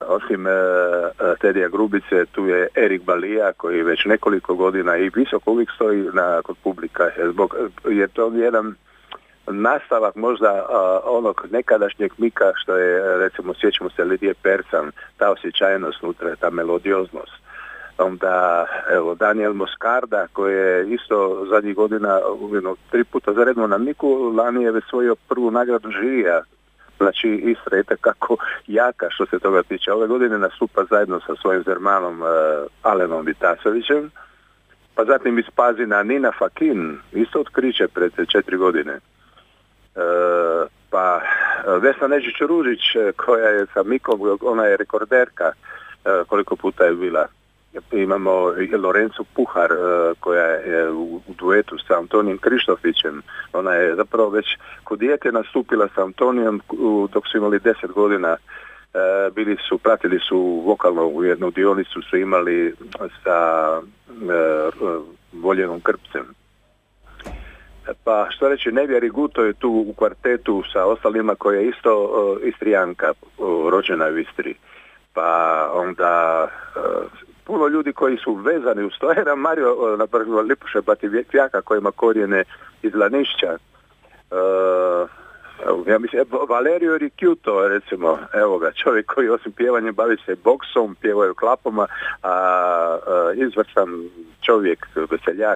osim Tedija Grubice, tu je Erik Balija koji već nekoliko godina i visoko uvijek stoji kod publika, jer to je jedan nastavak možda onog nekadašnjeg Mika što je, recimo, sjećamo se Lidije Percan, ta osjećajnost unutra, ta melodioznost. Onda, evo, Daniel Moscarda koji je isto zadnjih godina 3 puta za redom na Miku, lani je već svojio prvu nagradu žirija. Znači, Istra je kako jaka što se toga tiče. Ove godine nastupa zajedno sa svojim Zermanom Alenom Vitasovićem, pa zatim iz Pazina Nina Fakin, isto otkriće pred 4 godine. Pa Vesna Neđić-Ružić koja je sa Mikom, ona je rekorderka, koliko puta je bila. Imamo i Lorencu Puhar koja je u duetu sa Antonijem Krištofićem. Ona je zapravo već kod dijete nastupila sa Antonijom dok su imali 10 godina. Pratili su vokalno u jednu dionicu, su imali sa Voljenom Krpcem. Pa što reći, Nevija Riguto je tu u kvartetu sa ostalima koja je isto Istrijanka, rođena u Istri. Pa onda puno ljudi koji su vezani uz to. Era Mario, napravo Lipuše Bativjaka koji ima korijene iz Lanišća. Ja mislim, Valerio Ricciuto, recimo, evo ga, čovjek koji osim pjevanjem bavi se boksom, pjevaju klapama, a izvrstan čovjek, veseljak.